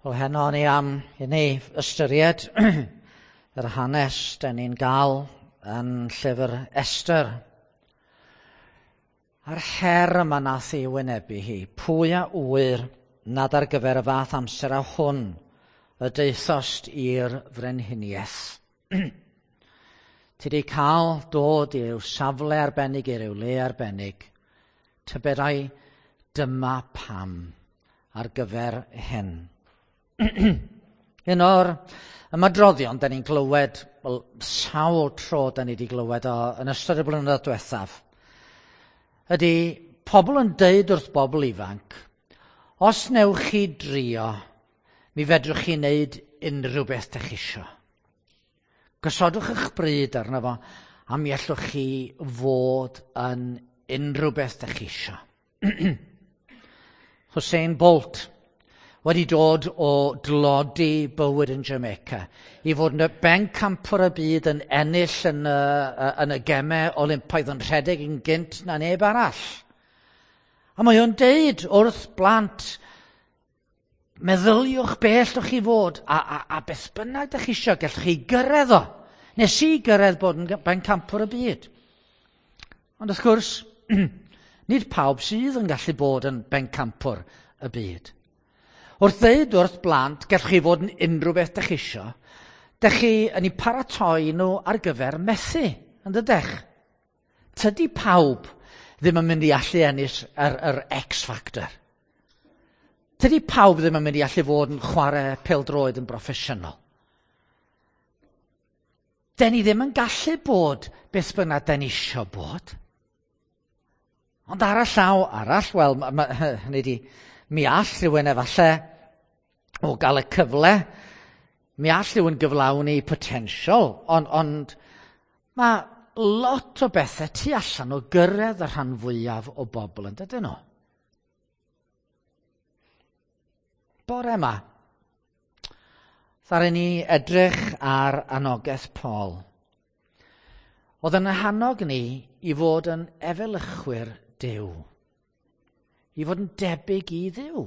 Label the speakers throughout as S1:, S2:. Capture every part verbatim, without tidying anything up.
S1: Wel, heno ni am i ni ystyried yr hanes dan ni'n gael yn llyfr Esther. A'r her yma nath ei wynebu hi, pwy a ŵyr nad ar gyfer y fath amser a hwn y daethost i'r frenhiniaeth. Ti di cael dod i ryw safle arbennig, i ryw le arbennig. Tybed ai dyma pam ar gyfer hyn. Un o'r ymadroddion da ni'n glywed, wel, sawl tro da ni wedi glywed o yn ystod y blynyddoedd diwethaf, ydy pobl yn deud wrth bobl ifanc, os newch chi drio, mi fedrwch chi wneud unrhyw beth dych chi isio. Gosodwch eich bryd arno fo, a mi allwch chi fod yn unrhyw beth dych chi isio. Usain Bolt wedi dod o dlodi bywyd yn Jamaica i fod yn y bencampwr y byd yn ennill yn y, yn y gemau Olympaidd yn rhedeg yn gynt na neb arall. A mae o'n deud wrth blant, meddyliwch be allwch chi fod a, a, a beth bynnag ydych chi isio, gallwch chi gyrraedd o. Nes i gyrraedd bod yn bencampwr y byd. Ond wrth gwrs, nid pawb sydd yn gallu bod yn bencampwr y byd. Wrth ddeud wrth blant, gallwch chi fod yn unrhyw beth dych chi isio, dych chi yn eu paratoi nhw ar gyfer methu, yn dydych? Tydi pawb ddim yn mynd i allu ennill yr, yr X Factor. Tydi pawb ddim yn mynd i allu fod yn chwarae pêl-droed yn broffesiynol. Den ni ddim yn gallu bod beth bynnag den ni isio bod. Ond ar y llaw arall, wel, ma, ma, hynny di, mi all rhywun efallai o gael y cyfle, mi all rhywun gyflawni potensial, ond, ond mae lot o bethau tu allan o gyrraedd y rhan fwyaf o bobl yn dydyn nhw. Bore yma, ddaru ni edrych ar anogaeth Paul. Oedd yn hannog ni i fod yn efelychwyr Duw. I fod yn debyg i Dduw,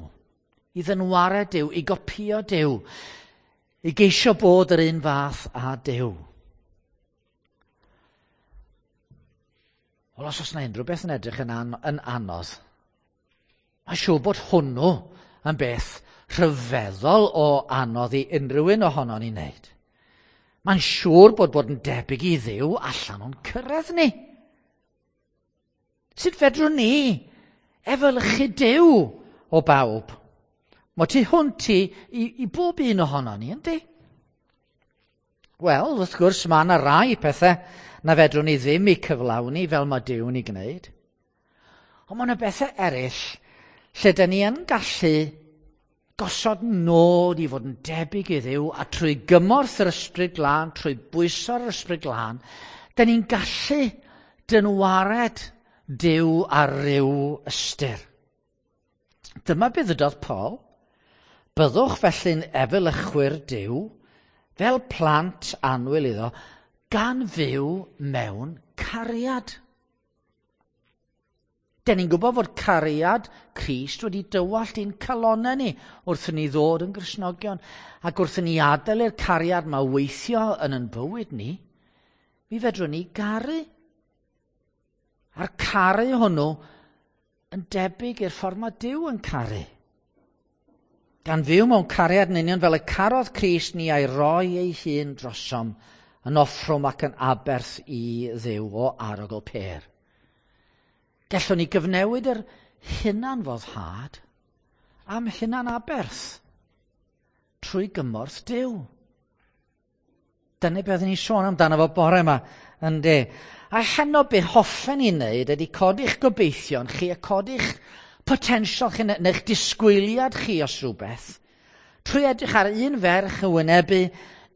S1: i ddynwared Duw, i gopïo Duw, i geisio bod yr un fath â Duw. Wel, os oes yna unrhyw beth yn edrych yn, an yn anodd, mae'n siŵr bod hwnnw yn beth rhyfeddol o anodd i unrhyw un ohono ni'n wneud. Mae'n siŵr bod bod yn debyg i Dduw allan o'n cyrraedd ni. Sut fedrwn ni efelychu Duw o bawb? Mae tu hwnt i, i, i bob un ohono ni, yndi? Wel, wrth gwrs, mae yna rai pethau na fedrwn ni ddim i cyflawni fel mae Duw'n ei gwneud. Ond mae yna bethau eraill lle dyn ni yn gallu gosod nod i fod yn debyg i Dduw, a trwy gymorth yr Ysbryd Glân, trwy bwyso'r Ysbryd Glân, dyn ni'n gallu dynwared Duw ar ryw ystyr. Dyma beth ddydodd Paul. Byddwch felly'n efelychwyr Duw, fel plant annwyl iddo, gan fyw mewn cariad. Den ni'n gwybod fod cariad Crist wedi dywallt i'n calonnau ni wrth i ni ddod yn Gristnogion, ac wrth i ni adael i'r cariad ma weithio yn ein bywyd ni, mi fedrwn ni garu. A'r caru hwnnw yn debyg i'r ffordd mae Duw yn caru. Gan fyw mewn cariad yn union fel y carodd Crist ni a'i roi ei hun drosom yn offrwm ac yn aberth i Dduw o arogl pêr. Gallwn ni gyfnewid yr hunanfoddhad am hunanaberth trwy gymorth Duw. Dyna beth ni'n sôn amdano fo bore yma, yndi. A heno be hoffen ni wneud ydy codi'ch gobeithion chi a codi'ch potensial chi neu'ch disgwyliad chi os rhywbeth, trwy edrych ar un ferch yn wynebu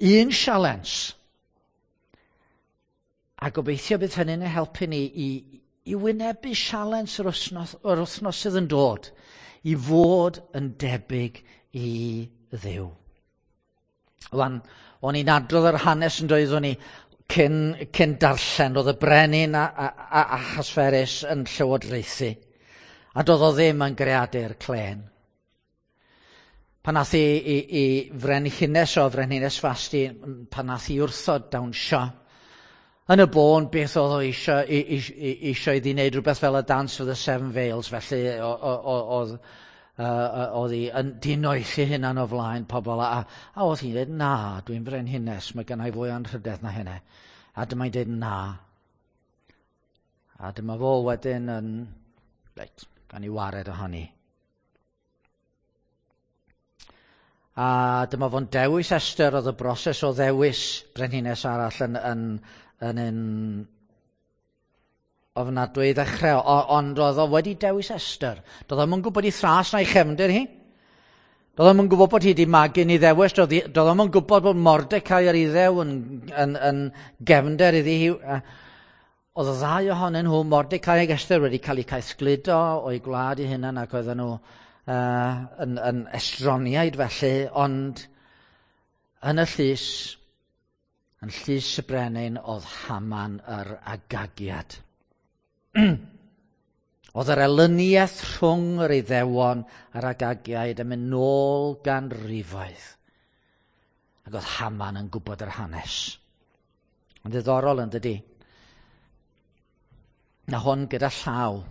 S1: un sialens. A gobeithio bydd hynny'n helpu ni i, i wynebu sialens yr wythnos, yr wythnos sydd yn dod, i fod yn debyg i Dduw. Wan, o'n i'n adrodd yr hanes yn doeddwn ni cyn, cyn darllen, oedd y brenin a, a, a Ahasferus yn llywodraethu, a doedd o ddim yn greadur clên. Pan nath i, i, i frenhines o frenhines Fasti, pan nath i wrthod dawnsio, yn y bôn beth oedd o eisiau, eisiau iddi wneud rhywbeth fel y Dance of the Seven Veils, felly oedd oedd hi yn dinoethi hunan o flaen pobl, a, a oedd hi'n dweud, na, dwi'n frenhines, mae gennau fwy anrhydedd na hynny. A dyma'n dweud, na. A dyma fo wedyn yn, reit, gan i wared ohoni. A dyma fo'n dewis Esther, oedd y broses o ddewis brenhines arall yn, yn, yn un ofnadwy i ddechrau, o, ond oedd o wedi dewis Esther. Doedd o'm yn gwybod ei thras na'i chefndir hi. Doedd o'm yn gwybod bod hi wedi magu'n Iddewes, doedd o'm yn gwybod bod Mordecai yr Iddew yn, yn, yn gefnder iddi hi. Oedd y ddau ohonyn nhw, Mordecai ac Esther, wedi cael eu caethgludo o'i gwlad eu hunan ac oedden nhw uh, yn, yn estroniaid felly, ond yn y llys, yn llys y brenin, oedd Haman yr Agagiad. Oedd yr elyniaeth rhwng yr Iddewon a'r Agagiaid yn mynd nôl ganrifoedd. Ac oedd Haman yn gwybod yr hanes. Yn ddiddorol yn dydi? Na hwn gyda llaw.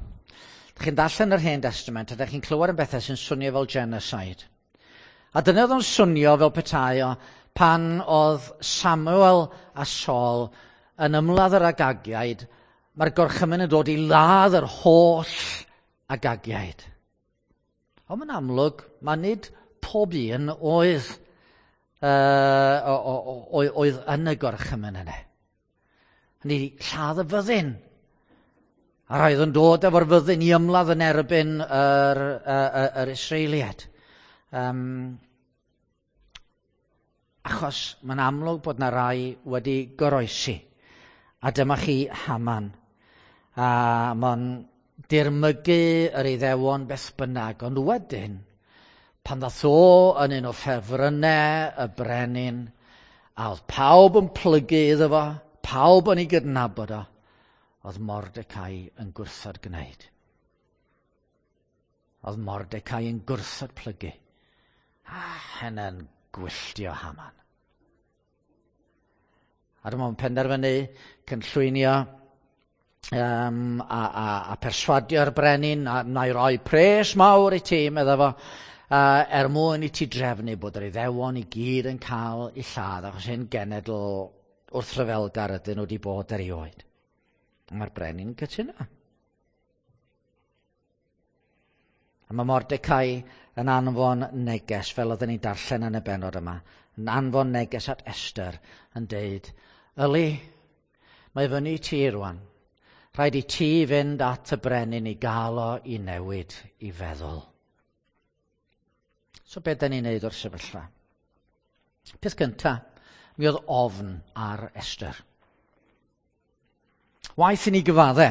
S1: Dych chi'n darllen yr Hen Testament a dych chi'n clywed yn bethau sy'n swnio fel genocide. A dyna oedd o'n swnio fel petai o pan oedd Samuel a Saul yn ymladd yr Agagiaid, mae'r gorchymyn yn dod i ladd yr holl Agagiaid. Ond mae'n amlwg, mae nid pob un oedd, uh, oedd yn y gorchymyn yna. Hynny lladd y fyddin. A roedd yn dod efo'r fyddin i ymladd yn erbyn yr, yr, yr Israeliaid. Um, achos mae'n amlwg bod na rai wedi goroesi. A dyma chi Haman. A mae'n dirmygu yr Iddewon beth bynnag. Ond wedyn, pan ddath o yn un o ffefrynnau y brenin, a oedd pawb yn plygu iddo fo, pawb yn ei gydnabod o, oedd Mordecai yn gwrthod gwneud. Oedd Mordecai yn gwrthod plygu. A hynny'n gwylltio Haman. A dyma o'n penderfynu cynllwynio um, a, a, a perswadio'r brenin, a na i roi pres mawr i ti, medda fo, uh, er mwyn i ti drefnu bod yr Iddewon i gyd yn cael eu lladd, achos hyn genedl wrthryfelgar ydyn nhw wedi bod erioed. Mae'r brenin yn cytuno. A mae Mordecai yn anfon neges, fel oedden ni'n darllen yn y bennod yma, yn anfon neges at Esther yn deud, Yli, mae fyny ti rwan. Rhaid i ti fynd at y brenin i gael o i newid i feddwl. So beth da ni'n neud o'r sefyllfa? Peth cynta, mi oedd ofn ar Esther. Waeth i ni gyfadde.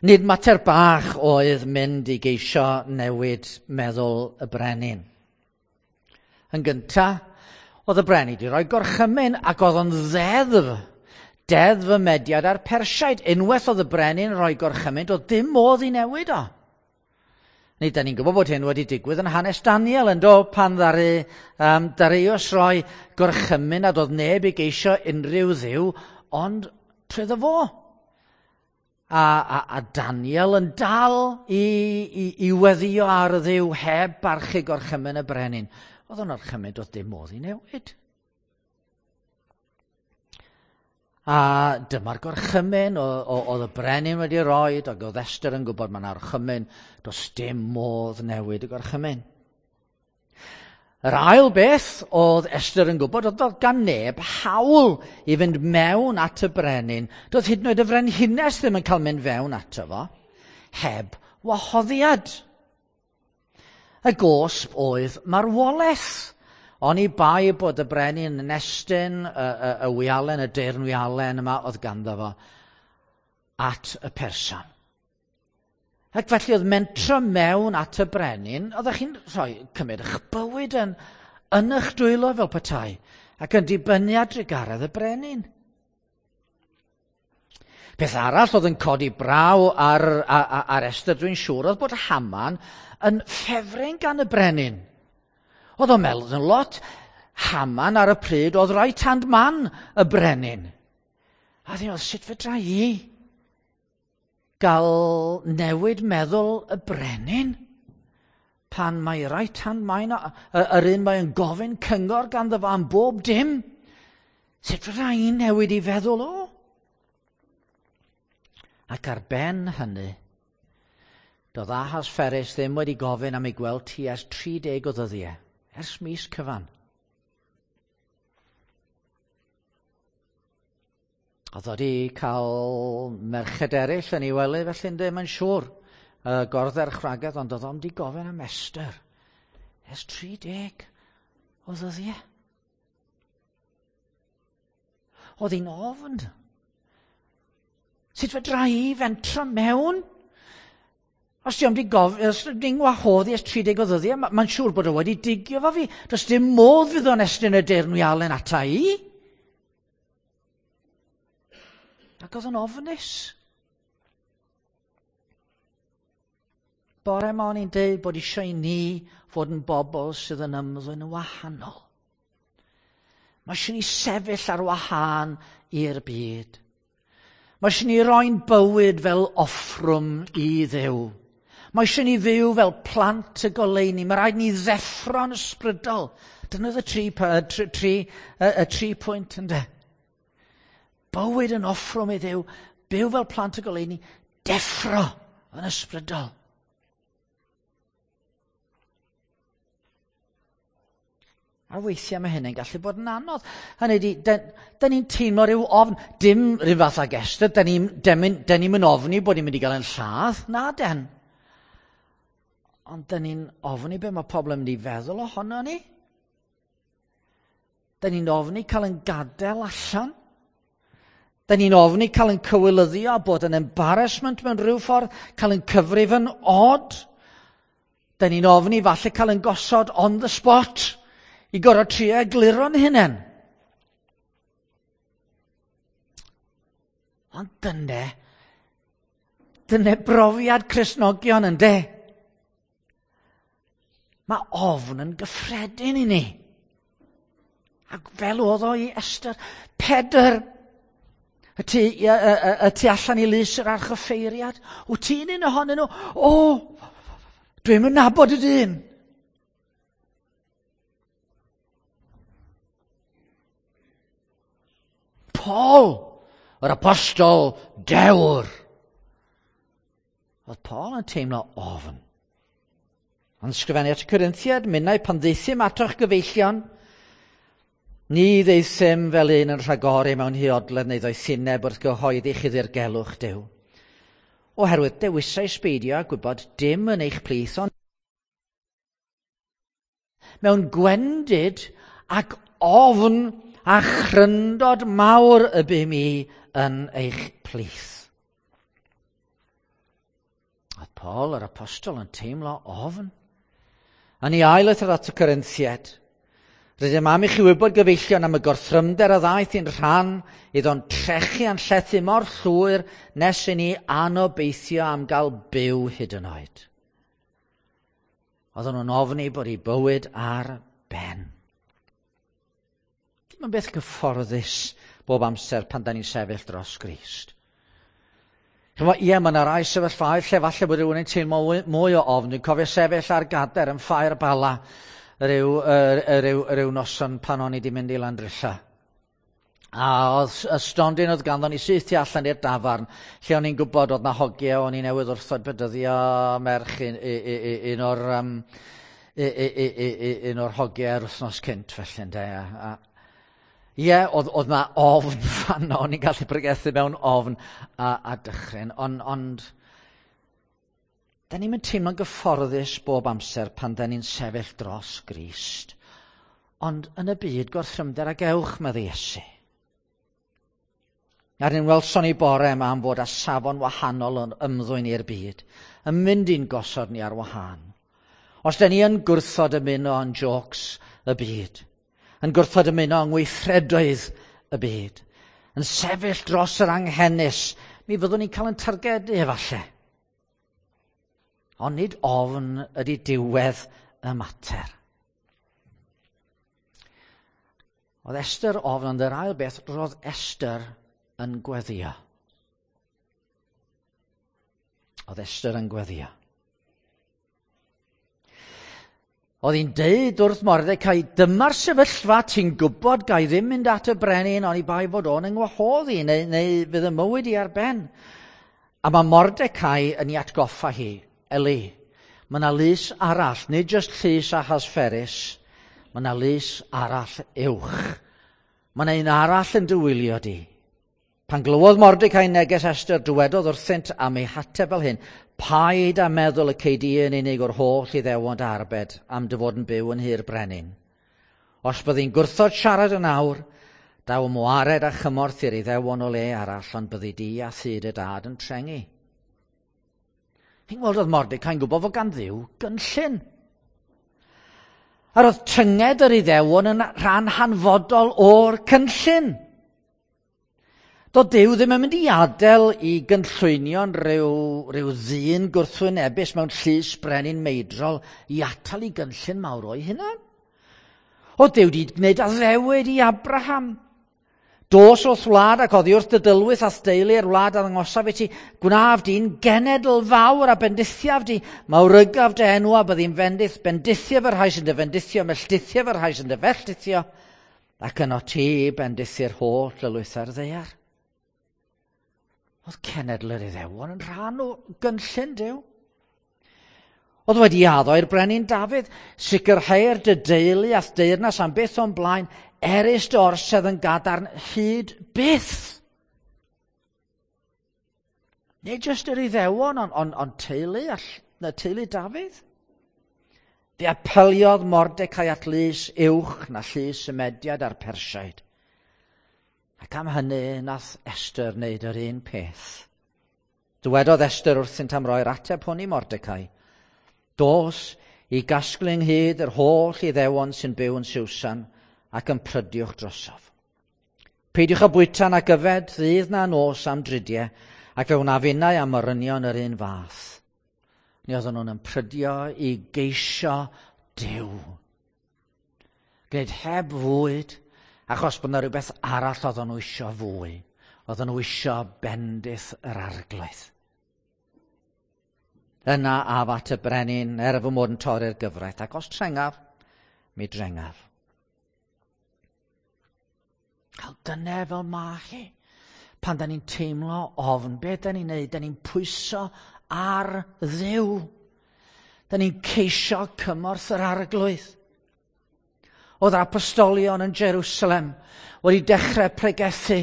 S1: Nid mater bach oedd mynd i geisio newid meddwl y brenin. Yn gynta, oedd y brenin wedi rhoi gorchymyn ac oedd o'n ddeddf. Deddf y Mediad a'r Persiaid. Unwaith oedd y brenin rhoi gorchymyn, doedd dim modd i newid o. Neu, da ni'n gwybod bod hyn wedi digwydd yn hanes Daniel, yn do, pan ddaru um, Darius roi gorchymyn a doedd neb i geisio unrhyw ddiw, ond trwyddo fo. A, a, a Daniel yn dal i, i, i weddio ar y ddiw heb barchu gorchymyn y brenin. Oedd o'n orchymyn, doedd dim modd i newid. A dyma'r gorchymyn oedd y brenin wedi roi, ac oedd Esther yn gwybod mae'n orchymyn, does dim modd newid y gorchymyn. Yr ail beth oedd Esther yn gwybod oedd doedd gan neb hawl i fynd mewn at y brenin. Doedd hyd yn oed y frenhines ddim yn cael mynd fewn ato fo, heb wahoddiad. Y gosb oedd marwolaeth. Oni bai bod y brenin yn estyn y, y, y wialen, y deyrn wialen yma oedd ganddo fo at y person. Ac felly oedd mentro mewn at y brenin, oeddech chi'n rhoi cymryd eich bywyd yn, yn eich dwylo fel petai, ac yn dibynnu ar drugaredd y brenin. Peth arall oedd yn codi braw ar, ar, ar Esther, dwi'n siŵr, oedd bod Haman yn ffefryn gan y brenin. Oedd o'n meddwl yn lot. Haman ar y pryd oedd right hand man y brenin. A ddyn oedd, sut fedra i gael newid meddwl y brenin pan mae right hand man, yr un mae'n gofyn cyngor ganddo fo am bob dim? Sut fedra i newid i feddwl o? Ac ar ben hynny, doedd Ahasferus ddim wedi gofyn am ei gweld ti ers tri deg o ddyddiau, ers mis cyfan. Oedd wedi cael merched eraill yn ei wely, felly ynddo, mae'n siŵr, uh, gordderchragedd, ond oedd o'n di gofyn am Esther ers tri deg o ddyddiau. Oedd hi'n ofn. Sut fedra i fentro mewn? Os di o'm di gof, os di'n wahodd i ers tri deg o ddyddiau, mae'n ma siŵr bod o wedi digio fo fi. Does dim modd fydd o'n estyn y deyrnwialen ata i. Ac oedd yn ofnus. Bore ma o'n i'n deud bod eisiau i ni fod yn bobl sydd yn ymddwyn yn wahanol. Mae eisiau ni sefyll ar wahân i'r byd. Mae eisiau ni roi'n bywyd fel offrwm i Dduw. Mae eisiau ni fyw fel plant y goleuni. Mae rhaid ni ddeffro'n ysbrydol. Dyna oedd y tri, tri, tri, y, y tri pwynt ynde. Bywyd yn offrwm i Dduw, byw fel plant y goleuni, deffro yn ysbrydol. A weithiau mae hynny'n gallu bod yn anodd. Hynny ydi, da ni'n teimlo rhyw ofn, dim rhyw fath ag Esther, da ni'n ni mynd ofni bod ni'n mynd i gael yn lladd, na den. Ond da ni'n ofni be mae pobl yn mynd i feddwl ohono ni. Da ni'n ofni cael yn gadael allan. Da ni'n ofni cael yn cywilyddio a bod yn embarrassment mewn rhyw ffordd, cael yn cyfrif yn odd. Da ni'n ofni falle cael yn gosod on the spot i gorfod trio egluro'n hunain. Ond dyne, dyne brofiad Cristnogion ynde. Mae ofn yn gyffredin i ni. Ac fel oedd o i Esther, Pedr, y tu, y, y, y tu allan i lys yr archoffeiriad, wyt ti'n un ohonyn nhw? O, dwi'm yn nabod y dyn. Paul, yr apostol dewr. Oedd Paul yn teimlo ofn. Ond ysgrifennu at y Corinthiaid, minnau pan ddeithim atoch gyfeillion, ni ddeithim fel un yn rhagori mewn huodledd neu ddoethineb wrth gyhoeddi chi ddirgelwch Duw. Oherwydd dewisais beidio a gwybod dim yn eich plith, ond mewn gwendid ac ofn a chryndod mawr y bum i yn eich plith. Oedd Paul yr apostol yn teimlo ofn. Yn ei ail lythyr at y Corinthiaid, rydym am i chi wybod gyfeillion am y gorthrymder a ddaeth i'n rhan iddo'n trechu a'n llethu mor llwyr nes i ni anobeithio am gael byw hyd yn oed. Oedden nhw'n ofni bod eu bywyd ar ben. Dim yn beth gyfforddus bob amser pan da ni'n sefyll dros Grist. Chymod, ie, mae yna rai sefyllfaoedd lle falle bod rhywun yn teimlo mwy o ofn. Dwi'n cofio sefyll ar gader yn Ffair Bala ryw, ryw, ryw noson pan o'n i wedi mynd i Landrilla. A oedd y stondin oedd ganddo ni syth tu allan i'r dafarn, lle o'n i'n gwybod oedd na hogiau, o'n i newydd wrthod bedyddio merch un, un, un o'r, um, un o'r hogiau yr wythnos cynt felly. Ynde? A, a, Ie, oedd, oedd na ofn fanno, o'n i'n gallu pregethu mewn ofn a, a dychryn, ond, ond da ni'n mynd teimlo'n gyfforddus bob amser pan da ni'n sefyll dros Grist. Ond yn y byd gorthrymder ag ewch, medde Iesu. A'r un welson ni bore yma am fod â safon wahanol yn ymddwyn i'r byd, yn mynd i'n gosod ni ar wahân. Os da ni yn gwrthod ymuno yn jôcs y byd, yn gwrthod ymuno yng ngweithredoedd y byd, yn sefyll dros yr anghenus, mi fyddwn ni'n cael yn targedu efallai. Ond nid ofn ydy diwedd y mater. Oedd Esther ofn, ond yr ail beth, roedd Esther yn gweddio. Oedd Esther yn gweddio. Oedd hi'n deud wrth Mordecai, dyma'r sefyllfa, ti'n gwybod gai ddim mynd at y brenin, oni bai fod o'n yngwahodd i, neu, neu fydd y mywyd i ar ben. A mae Mordecai yn ei atgoffa hi, Eli, mae yna lys arall, nid jyst llys Ahasferus, mae yna lys arall uwch. Mae yna un arall yn dy wylio di. Pan glywodd Mordecai neges Esther, dywedodd wrthynt am ei hateb fel hyn, paid â meddwl y cei di yn unig o'r holl Iddewon dy arbed am dy fod yn byw yn nhŷ'r brenin. Os byddi'n gwrthod siarad yn awr, daw ymwared a chymorth i'r Iddewon o le arall, ond byddi di a thŷ dy dad yn trengi. Chi'n gweld oedd Mordecai'n gwybod fod gan Dduw gynllun. A roedd tynged yr Iddewon yn rhan hanfodol o'r cynllun. Doedd Duw ddim yn mynd i adael i gynllwynio'n rhyw, rhyw ddyn gwrthwynebus mewn llys brenin meidrol i atal i gynllun mawr o'i hunan. Oedd Duw wedi gwneud addewid i Abraham. Dos wrth wlad ac oddi wrth dy dylwyth a'th deulu i'r wlad a ddangosaf i ti, gwnaf di'n genedl fawr a bendithiaf di, mawrygaf dy enw a byddi'n fendith, bendithiaf y rhai sy'n dy fendithio, melltithiaf y rhai sy'n dy felltithio, ac yno ti bendithi'r holl lylwyth ar ddaear. Oedd cenedl yr Iddewon yn rhan o gynllun Duw. Oedd wedi addo i'r brenin Dafydd, sicrhau'r dy deulu a'th deyrnas am byth o'n blaen, erys dy orsedd yn gadarn hyd byth. Nid jyst yr Iddewon, ond on, on teulu, all, na teulu Dafydd. Fe apeliodd Mordecai at lys uwch na llys y Mediaid a'r Persiaid. Ac am hynny, nath Esther wneud yr un peth. Dywedodd Esther wrthynt am roi'r ateb hwn i Mordecai. Dos i gasglu ynghyd yr holl Iddewon sy'n byw yn Susan ac yn prydiwch drosof. Peidiwch â bwyta nac yfed ddydd na nos am dridiau, ac fe wnaf innau am morynion yr un fath. Mi oedden nhw'n ymprydio i geisio Duw. Gwneud heb fwyd, achos bod yna rhywbeth arall oedden nhw isio fwy. Oedden nhw isio bendith yr Arglwydd. Yna af at y brenin, er fy mod yn torri'r gyfraith, ac os trengaf, mi drengaf. Wel, dyna fel ma hi. Pan da ni'n teimlo ofn, be da ni'n neud? Da ni'n pwyso ar Dduw. Da ni'n ceisio cymorth yr Arglwydd. Oedd yr apostolion yn Jerusalem wedi dechrau pregethu,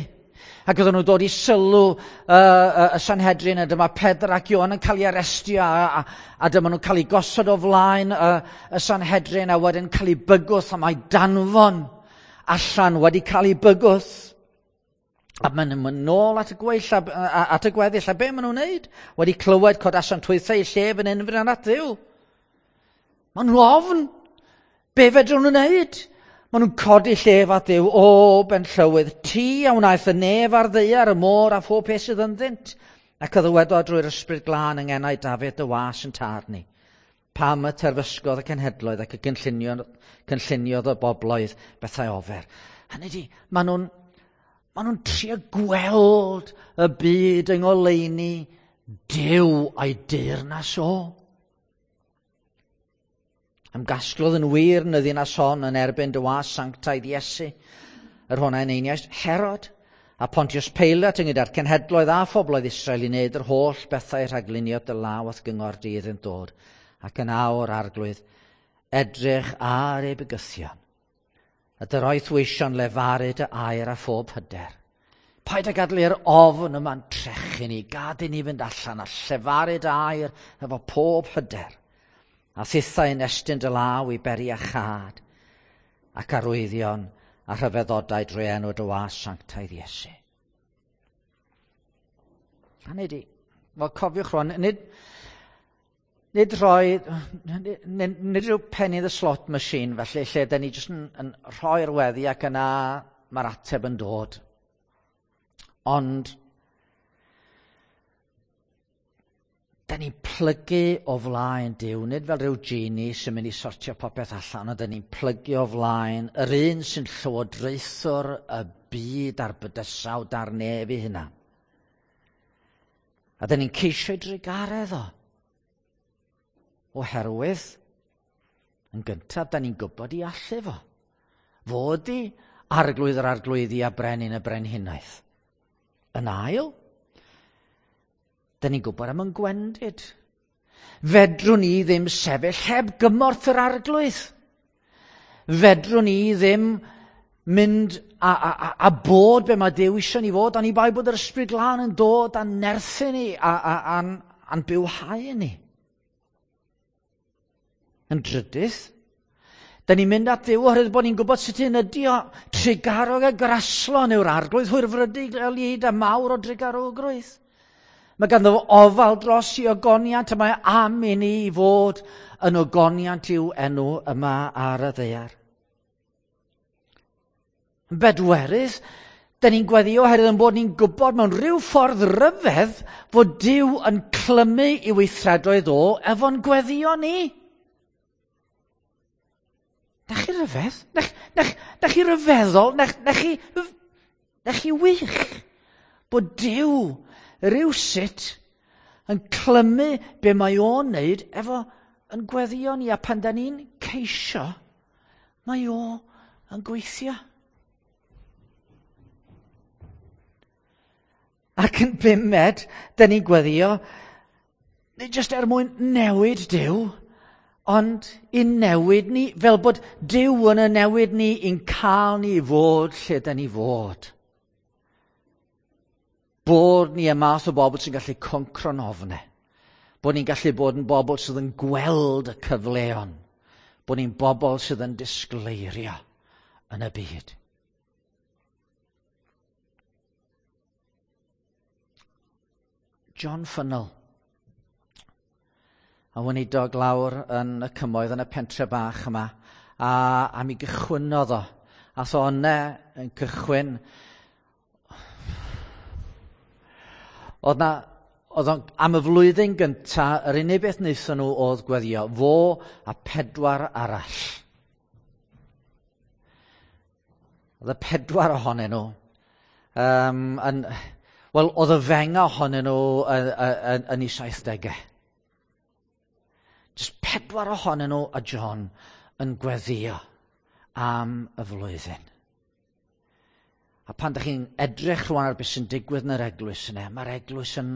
S1: ac oedden nhw'n dod i sylw uh, uh, y Sanhedrin, a dyma Pedr ac Ioan yn cael ei arestio, a, a, a dyma nhw'n cael ei gosod o flaen uh, y Sanhedrin, a wedyn cael ei bygwth, a mae danfon allan wedi cael ei bygwth. A maen nhw'n mynd nôl at y gweill, a, a, at y gweddill, a be maen nhw'n neud? Wedi clywed codasant hwythau eu llef yn unfryd at Dduw. Maen nhw ofn. Be fedrwn nhw'n neud? Maen nhw'n codi llef at Dduw. O, benllywydd, ti a wnaeth y nef a'r ddaear, y môr a phob peth sydd ynddynt. Ac a ddywedodd drwy'r ysbryd glân yng ngenau Dafydd dy was yn tad ni. Pam y terfysgodd y cenhedloedd ac y gynlluniodd, cynlluniodd y bobloedd bethau ofer. Hynny di, maen nhw'n maen nhw'n trio gweld y byd yng ngoleuni Duw a'i deyrnas o. Ymgasglodd yn wir yn y ddinas hon yn erbyn dy was sanctaidd Iesu, yr hwn a eneiniaist Herod, a Pontius Pilate ynghyd â'r cenhedloedd a phobloedd Israel i wneud yr holl bethau rhagluniodd dy law a'th gyngor di iddynt dod. Ac yn awr, Arglwydd, edrych ar eu bygythion, a dy roeth weision lefaru dy air a phob hyder. Paid â gadael i'r ofn yma'n trechu ni, gad i ni fynd allan a llefaru dy air efo pob hyder. A thithau yn estyn dy law i beri a chad, ac arwyddion a rhyfeddodau drwy enw dy was sanctaidd Iesu. Hynny di, wel cofiwch rwan, nid, nid rhoi, nid, nid rhyw penny in the slot machine felly, lle da ni jyst yn, yn rhoi'r weddi ac yna mae'r ateb yn dod. Ond Da ni'n plygu o flaen Duw, nid fel rhyw genie sy'n mynd i sortio popeth allan, ond da ni'n plygu o flaen yr un sy'n llywodraethwr y byd a'r bydysawd a'r nef i hynna. A da ni'n ceisio ei drugaredd o. Oherwydd, yn gyntaf, da ni'n gwybod i allu fo. Fo ydi arglwydd yr arglwyddi a brenin y brenhinaeth. Yn ail, da ni'n gwybod am yn gwendid. Fedrwn ni ddim sefyll heb gymorth yr arglwydd. Fedrwn ni ddim mynd a, a, a, a bod be mae Duw eisiau ni fod, oni bai bod yr Ysbryd Glân yn dod a'n nerthu ni a, a, a'n, a'n bywhau ni. Yn drydydd, da ni'n mynd at Dduw oherwydd bod ni'n gwybod sut un ydi o. Trugarog a graslon yw'r arglwydd, hwyrfrydig a mawr o drugarogrwydd. Mae ganddo fo ofal dros i ogoniant a mae am i ni fod yn ogoniant i'w enw yma ar y ddaear. Yn bedwerydd, da ni'n gweddio oherwydd yn bod ni'n gwybod mewn rhyw ffordd ryfedd fod Duw yn clymu i weithredoedd o efo'n gweddio ni. Na chi ryfedd? Na, na, na chi ryfeddol? Na, na, chi, na chi wych? Bod Duw rywsut yn clymu be mae o'n neud efo yn gweddio ni, a pan da ni'n ceisio, mae o yn gweithio. Ac yn bumed, da ni'n gweddio, nid jyst er mwyn newid Duw, ond i newid ni, fel bod Duw yn y newid ni, i'n cael ni i fod lle da ni fod. Bod ni y math o bobl sy'n gallu concro'n ofnau. Bod ni'n gallu bod yn bobl sydd yn gweld y cyfleon. Bod ni'n bobl sydd yn disgleirio yn y byd. John Funnell, a weinidog lawr yn y cymoedd yn y pentre bach yma, a, a mi gychwynnodd o. Ath o yna yn cychwyn. Oedd na, oedd o'n, am y flwyddyn gynta, yr unig beth wnaethon nhw oedd gweddio, fo a pedwar arall. Oedd y pedwar ohonyn nhw. Um, yn, wel, oedd y fenga ohonyn nhw yn, yn, yn ei saithdegau. Just pedwar ohonyn nhw a John yn gweddio am y flwyddyn. A pan ydych chi'n edrych rwan ar beth sy'n digwydd yn yr eglwys yna, mae'r eglwys yn,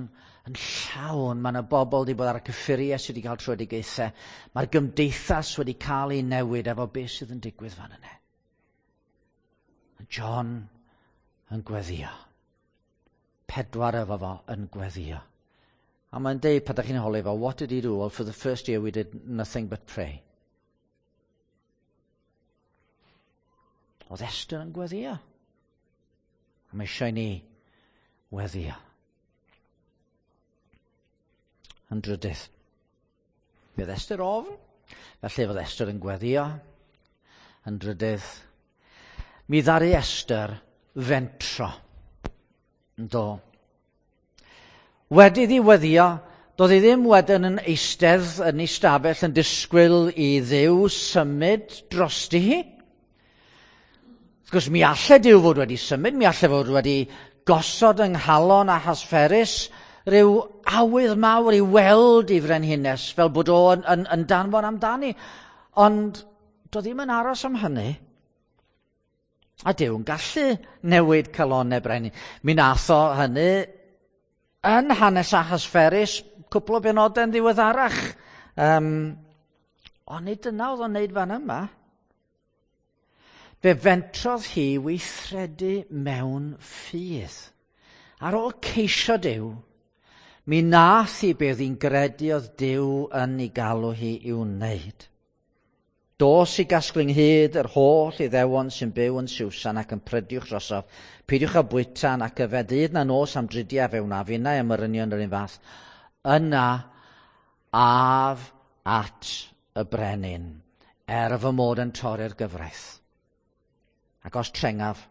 S1: yn llawn. Mae yna bobl wedi bod ar y cyffuriau sydd wedi cael tröedigaethau. Mae'r gymdeithas wedi cael ei newid efo beth sydd yn digwydd fan yna. A John yn gweddio. Pedwar efo fo yn gweddio. A mae'n deud, pan ydych chi'n holi fo, what did he do? Well, for the first year we did nothing but pray. Oedd Esther yn gweddio. A mae eisiau ni weddio. Yn drydydd, mi oedd Esther ofn, felly oedd Esther yn gweddio. Yn drydydd, mi ddaru Esther fentro. Do. Wedi iddi weddio, doedd hi ddim wedyn yn eistedd yn ei stafell yn disgwyl i Dduw symud drosti hi. Wrth gwrs, mi allai Duw fod wedi symud, mi allai fod wedi gosod yng nghalon Ahasferus rhyw awydd mawr i weld i frenhines fel bod o'n yn, yn danfon amdani. Ond doedd ddim yn aros am hynny. A Duw yn gallu newid calonnau brenin. Mi nath o hynny yn hanes Ahasferus cwpl o benodau'n ddiweddarach. Um, ond nid dyna oedd o'n neud fan yma. Fe fentrodd hi weithredu mewn ffydd. Ar ôl ceisio Duw, mi nath hi be oedd hi'n gredu oedd Duw yn ei galw hi i'w wneud. Dos i gasglu ynghyd yr holl Iddewon sy'n byw yn Susan ac yn prydiwch drosof. Peidiwch â bwyta nac yfed dydd na nos am dridiau, fe wnaf innau am yr union yr un fath. Yna af at y brenin, er fy mod yn torri'r gyfraith. Ac os trengaf,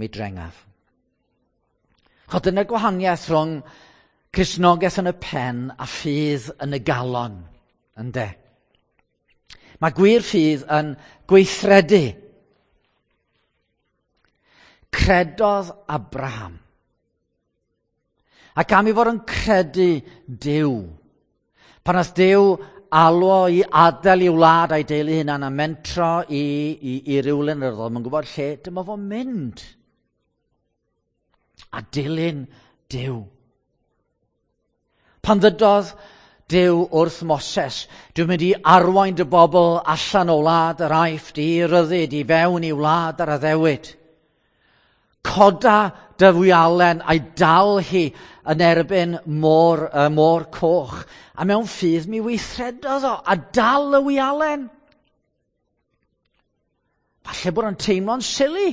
S1: mi drengaf. Chod dyna'r gwahaniaeth rhwng Cristnogaeth yn y pen a ffydd yn y galon, ynde? Mae gwir ffydd yn gweithredu. Credodd Abraham. Ac am ei fod yn credu Duw, pan nath Duw alw o i adael ei wlad a'i deulu hunan a mentro i, i, i rywle yn yr oedd o'n gwybod lle, dyma fo'n mynd. A dilyn Duw. Pan ddydodd Duw wrth Moses, dwi'n mynd i arwain dy bobl allan o wlad yr Aifft i ryddid i fewn i wlad yr addewid. Coda dy fwialen a'i dal hi yn erbyn môr, y môr coch. A mewn ffydd mi weithredodd o a dal y wialen. Falle bod o'n teimlo'n silly.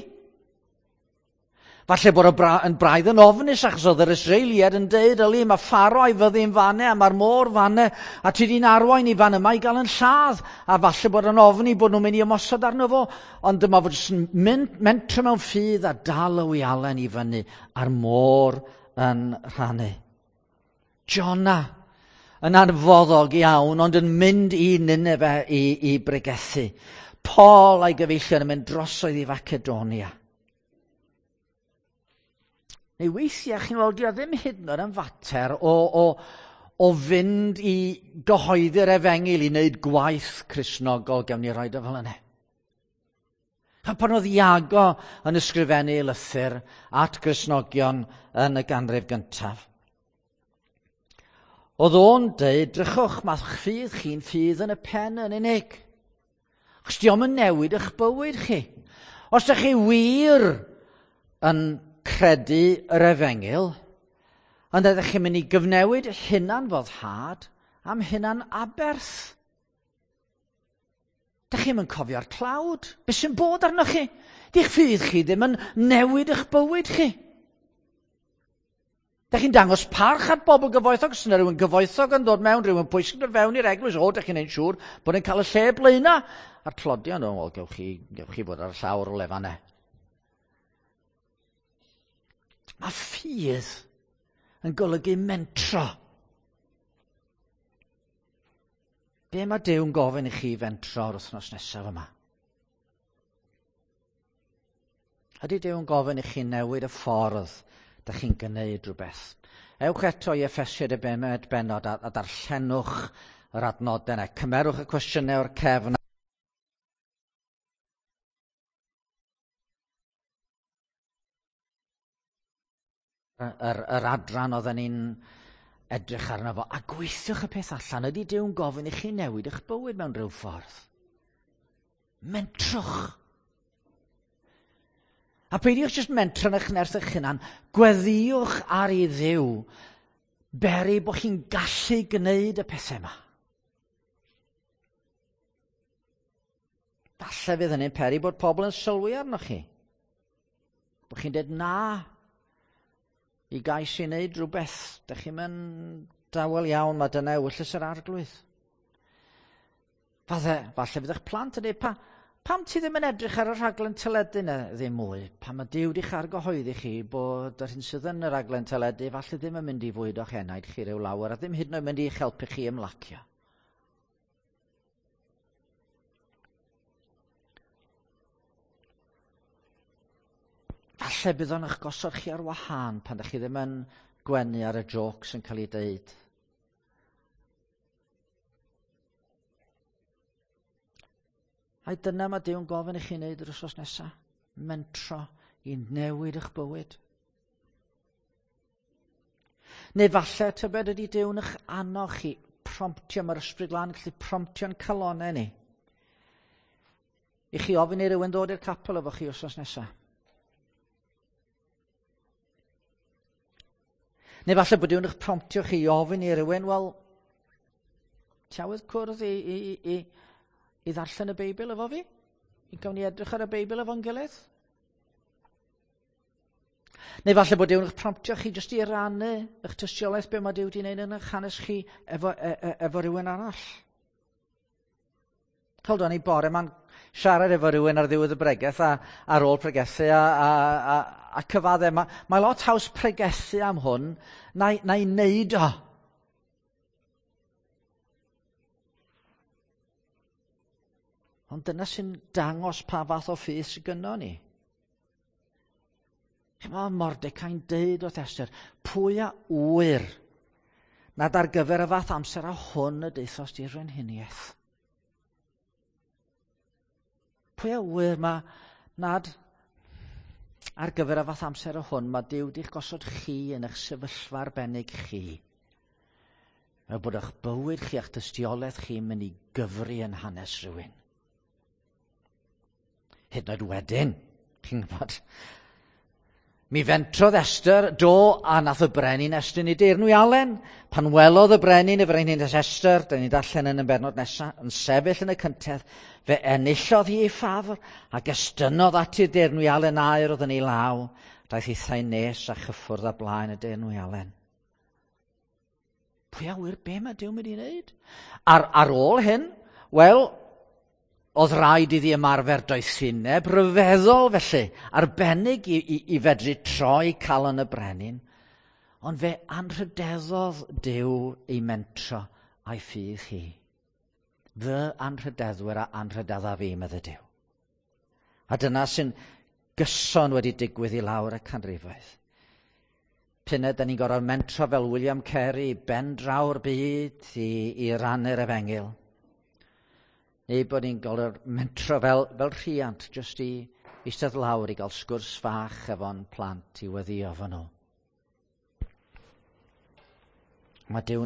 S1: Falle bod o yn braidd yn ofnus achos oedd yr Israeliad yn deud, yli, mae Pharaoh a'i fyddin fanne a mae'r môr fanne a ti di'n arwain i fan yma i gael yn lladd. A falle bod yn ofni bod nhw'n mynd i ymosod arno fo. Ond dyma fod jyst yn mynd, mentro mewn ffydd a dal y wialen i fyny a'r môr yn rhannu. Jonah yn anfoddog iawn ond yn mynd i Nineveh i, i bregethu. Paul a'i gyfeillion yn mynd drosodd i Facedonia. Neu weithiau, chi'n weld, dio ddim hyd yn oed yn fater o, o, o fynd i gyhoeddi'r efengyl i wneud gwaith Cristnogol, gawn ni roed o fel yna. A pan oedd Iago yn ysgrifennu lythyr at Gristnogion yn y ganrif gyntaf, oedd o'n deud, drychwch, mae'ch ffydd chi'n ffydd yn y pen yn unig. Achos dio'm yn newid eich bywyd chi. Os ydych chi wir yn credu yr efengyl, ond ydych chi'n mynd i gyfnewid hunan foddhad am hunan aberth. Dych chi'm yn cofio'r tlawd. Be sy'n bod arnoch chi? Di'ch ffydd chi ddim yn newid eich bywyd chi. Dych chi'n dangos parch at bobl gyfoethog. Os yna rhywun gyfoethog yn dod mewn, rhywun pwysig yn dod fewn i'r eglwys, o, dych chi'n neud siŵr bod yn cael y lle blaena. A'r tlodion, o, wel, gewch chi, gewch chi fod ar y llawr o lefanau. Mae ffydd yn golygu mentro. Be mae Duw'n gofyn i chi fentro o'r wythnos nesaf yma? Ydy Duw'n gofyn i chi newid y ffordd dych chi'n gwneud rhywbeth? Ewch eto i Effesiaid y bumed bennod a, a darllenwch yr adnodau yna. Cymerwch y cwestiynau o'r cefn. Yr, yr adran oedden ni'n edrych arno fo, a gweithiwch y peth allan. Ydy Duw'n gofyn i chi newid eich bywyd mewn rhyw ffordd? Mentrwch. A peidiwch jyst mentro yn eich nerth eich hunan, gweddïwch ar i Dduw, beri bod chi'n gallu gwneud y pethau yma. Falle fydd hynny'n peri bod pobl yn sylwi arnoch chi. Bod chi'n dweud na i gais i wneud rhywbeth. Dych chi'n mynd dawel iawn, mae dyna ewyllys yr Arglwydd. Falle, falle fydd eich plant yn dweud, pa, pam ti ddim yn edrych ar y rhaglen teledu yna ddim mwy? Pam mae Duw di'ch argyhoeddi chi bod yr hyn sydd yn y rhaglen teledu falle ddim yn mynd i fwydo'ch enaid chi ryw lawer a ddim hyd yn oed mynd i'ch helpu chi ymlacio. Falle bydd o'n eich gosod chi ar wahân pan ydych chi ddim yn gwenu ar y jokes yn cael ei deud. Ai dyna mae Duw'n gofyn i chi wneud yr wythnos nesaf? Mentro i newid eich bywyd. Neu falle tybed ydy Duw'n eich annog chi, promptio, mae'r Ysbryd Glân yn gallu promptio'n calonnau ni. I chi ofyn i rywun ddod i'r capel efo chi wythnos nesaf. Neu falle bod Duw'n eich promptio chi i ofyn i rywun, wel, ti awydd cwrdd i, i, i, i ddarllen y Beibl efo fi? I gawn ni edrych ar y Beibl efo'n gilydd? Neu falle bod Duw'n eich promptio chi jyst i rannu eich tystiolaeth be mae Duw wedi wneud yn eich hanes chi efo, e, e, efo rhywun arall. Hold on, i bore ma'n siarad efo rhywun ar ddiwedd y bregeth a ar ôl pregethu a, a, a, a cyfadde. Mae, mae lot haws pregethu am hwn na'i, na'i wneud o. Ond dyna sy'n dangos pa fath o ffydd sydd gynnon ni. Mae Mordecai'n deud wrth Esther, pwy a ŵyr nad ar gyfer y fath amser a hwn y deuthost i'r frenhiniaeth. Pwy a ŵyr ma nad ar gyfer y fath amser a hwn mae Duw di'ch gosod chi yn eich sefyllfa arbennig chi. Fel bod eich bywyd chi a'ch tystiolaeth chi'n mynd i gyfri yn hanes rhywun. Hyd yn oed wedyn, chi'n gwybod, mi fentrodd Esther do a nath y brenin estyn i deyrnwialen. Pan welodd y brenin y frenhines Esther, da ni'n darllen yn y bennod nesaf, yn sefyll yn y cyntedd, fe enillodd hi ei ffafr ac estynnodd ati'r deyrnwialen aur oedd yn ei law. Daeth hithau nes a chyffwrdd â blaen y deyrnwialen. Pwy a ŵyr be mae Duw mynd i wneud? Ar, ar ôl hyn, wel, oedd rhaid iddi ymarfer doethineb rhyfeddol felly, arbennig i, i, i fedru troi calon y brenin, ond fe anrhydeddodd Duw ei mentro a'i ffydd hi. Fy anrhydeddwyr a anrhydedda fi, medde Duw. A dyna sy'n gyson wedi digwydd i lawr y canrifoedd. P'un da ni'n gorfod mentro fel William Carey, ben draw'r byd i, i rannu'r efengyl. Neu bod ni'n gorfod mentro fel, fel rhiant, jyst i eistedd lawr i gael sgwrs fach efo'n plant i weddïo efo nhw. Mae Duw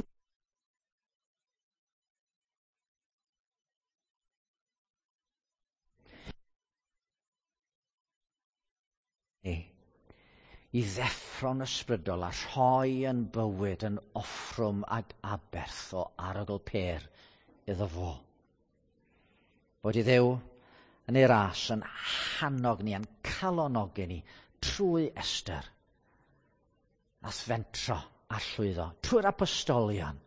S1: i ddeffro'n ysbrydol a rhoi yn bywyd yn offrwm ag aberth o arogl pêr iddo fo. Bod i Dduw yn ei ras yn hannog ni, yn calonogi ni trwy Esther. Nath fentro a llwyddo, trwy'r apostolion,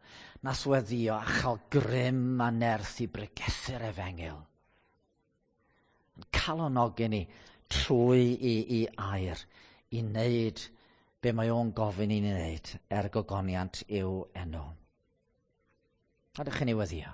S1: nath weddio a chael grym a nerth i bregethu'r efengyl. Yn calonogi ni trwy i, i air i wneud be mae o'n gofyn i ni wneud er gogoniant i'w enw. A dych chi'n ei weddio.